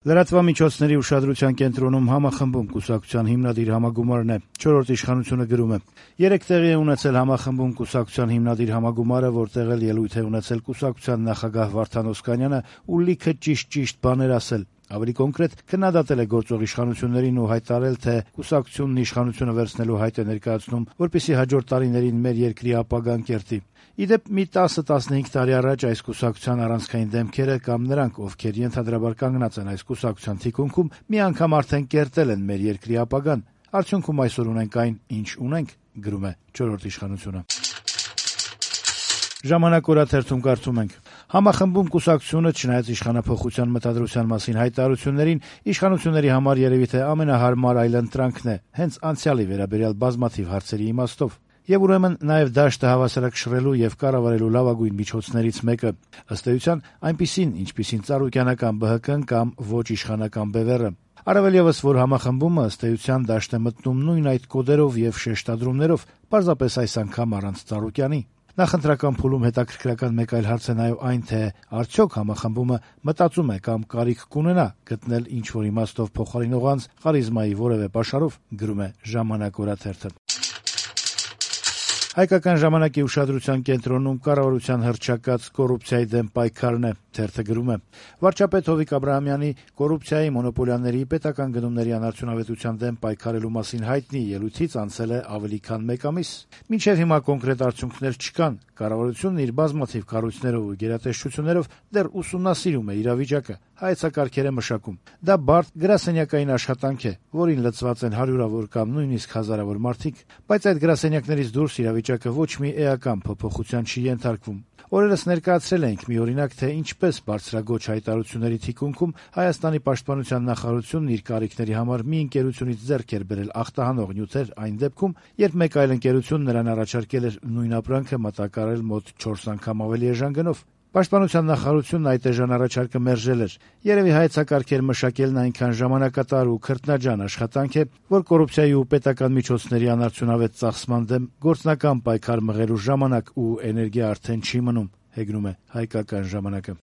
Լրատվամիջոցների ուշադրության կենտրոնում համախմբում կուսակցության հիմնադիր համագումարն է։ Չորրորդ իշխանությունը գրում է. «Երեկ տեղի է ունեցել համախմբում կուսակցության հիմնադիր համագումարը, որտեղ էլ ելույթ է ունեցել կուսակցության նախագահ Վարդան Օսկանյանը ու լիքը ճիշտ բաներ ասել։ Ավելի կոնկրետ, քննադատել է գործող իշխանություններին ու հայտարարել, թե կուսակցությունն իշխանությունը վերցնելու հայտ է ներկայացնում, որպեսզի հաջորդ տարիներին մեր երկրի ապագան կերտի։ Ի դեպ, մի 10-15 տարի առաջ այս կուսակցության առանցքային դեմքերը կամ նրանք, ովքեր ենթադրաբար կանգնած են այս կուսակցության թիկունքում, մի անգամ արդեն կերտել են մեր երկրի ապագան։ Արդյունքում այսօր ունենք այն, ինչ ունենք», գրում է Չորրորդ իշխանությունը։ «Ժամանակ» օրաթերթում կարդում ենք. «Համախմբում կուսակցությունը, չնայած իշխանափոխության մտադրության մասին հայտարարություններին, իշխանությունների համար երևի թե ամենահարմար այլընտրանքն է, հենց անցյալի վերաբերյալ բազմաթիվ հարցերի իմաստով։ Եվ ուրեմն նաև դաշտը հավասարակշռելու եւ կառավարելու լավագույն միջոցներից մեկը, ըստ էության, այնպիսին, ինչպիսին ծառուկյանական ԲՀԿ-ն կամ ոչ իշխանական ԲՎՌ-ը։ Առավել ևս, որ համախմբումը ըստ էության դաշտ է մտնում նույն այդ կոդերով եւ շեշտադրումներով, պարզապես այս անգամ առանց ծառուկյանի։ Նախընտրական փուլում հետաքրքրական մեկ այլ հարց է նաեւ այն, թե արդյոք համախմբումը մտածում է կամ կարիք կունենա գտնել ինչ-որ իմաստով փոխարինող անձ խարիզմայի որևէ պաշարով», գրում է «Ժամանակ» օրաթերթը։ Հայկական ժամանակի ուշադրության կենտրոնում կառավարության հռչակած կոռուպցիայի դեմ պայքարն է։ Թերթը գրում է. «Վարչապետ Հովիկ Աբրահամյանի կոռուպցիայի, մոնոպոլիաների, պետական գնումների անարդյունավետության դեմ պայքարելու մասին հայտնի ելույթից անցել է ավելի քան մեկ ամիս։ Մինչև հիմա կոնկրետ արդյունքներ չկան։ Կառավարությունն իր բազմաթիվ կառույցներով ու գերատեսչություններով դեռ ուսումնասիրում է իրավիճակը, հայեցակարգեր է մշակում։ Դա բարդ գրասենյակային աշխատանք է, որին լծված են հարյուրավոր կամ նույնիսկ հազարավոր մարդիկ, բայց այդ գրասենյակներից դուրս իրավիճակը ոչ մի էական փոփոխության չի ենթարկվում։ Օրերս ներկայացրել էինք մի օրինակ, թե ինչպես բարձրագոչ հայտարարությունների թիկունքում Հայաստանի պաշտպանության նախարարությունն իր կարիքների համար մի ընկերությունից ձեռք էր բերել ախտահանող նյութեր այն դեպքում, երբ մեկ այլ ընկերություն նրան առաջարկել էր նույն ապրանքը մատակարարել մոտ 4 անգամ ավելի էժան գնով։ Պաշտպանության նախարարությունն այդ էժան առաջարկը մերժել էր։ Երևի հայեցակարգեր մշակելն այնքան ժամանակատար ու քրտնաջան աշխատանք է, որ կոռուպցիայի ու պետական միջոցների անարդյունավետ ծախսման դեմ գործնական պայքար մղելու ժամանակ ու էներգիա արդեն չի մնում», հեգնում է Հայկական ժամանակը։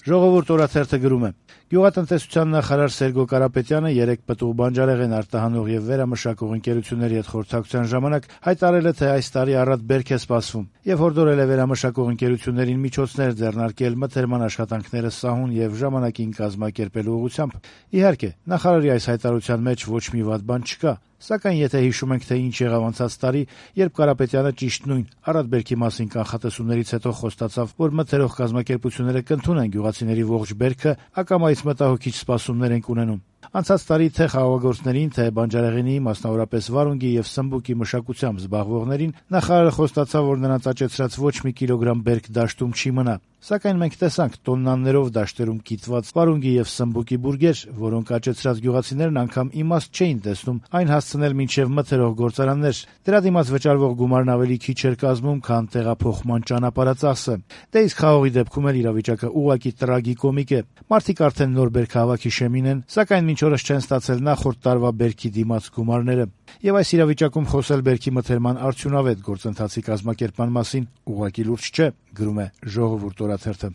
«Ժողովուրդ» օրաթերթը գրում է. «Գյուղատնտեսության նախարար Սերգո Կարապետյանը երեկ պտուղ բանջարեղեն արտահանող եւ վերամշակող ընկերությունների հետ խորհրդակցության ժամանակ հայտարարել է, թե այս տարի առատ բերք է սպասվում եւ հորդորել է վերամշակող ընկերություններին միջոցներ ձեռնարկել մթերման աշխատանքները սահուն եւ ժամանակին կազմակերպելու ուղղությամբ։ Իհարկե, նախարարի այս հայտարարության մեջ ոչ մի վատ բան չկա, սակայն եթե հիշում ենք, թե ինչ եղավ անցած տարի, երբ Կարապետյանը ճիշտ նույն առատ բերքի մասին կանխատեսումներից հետո խոստացավ, որ մթերող կազմակերպությունները կընդունեն գյուղացիների ողջ բերքը, ակամայից մտահոգիչ սպասումներ ենք ունենում։ Անցած տարի թե խաղաղագործներին, թե բանջարեղենի, մասնավորապես վարունգի եւ սմբուկի մշակությամբ զբաղվողներին նախարարը խոստացավ, որ նրանց աճեցրած ոչ մի կիլոգրամ բերք դաշտում չի մնա։ Սակայն մենք տեսանք տոննաներով դաշտերում կիտված վարունգի եւ սմբուկի բուրգեր, որոնք աճեցրած գյուղացիներն անգամ իմաստ չէին տեսնում այն հասցնել մինչեւ մթերող գործարաններ։ Դրա դիմաց վճարվող գումարն ավելի քիչ էր կազմում, քան տեղափոխման ճանապարհածախսը։ Դե իսկ խաղողի դեպքում էլ իրավիճակը ուղղակի տրագիկոմիկ է։ Մարդիկ արդեն նոր բերքահավաքի շեմին են, սակայն մինչ օրս չեն ստացել նախորդ տարվա բերքի դիմաց գումարները։ Եվ այս իրավիճակում խոսել բերքի մթերման արդյունավետ գործընթացի կազմակերպման մասին ուղղակի լուրջ չէ», գրում է «Ժողովուրդ» օրաթերթը։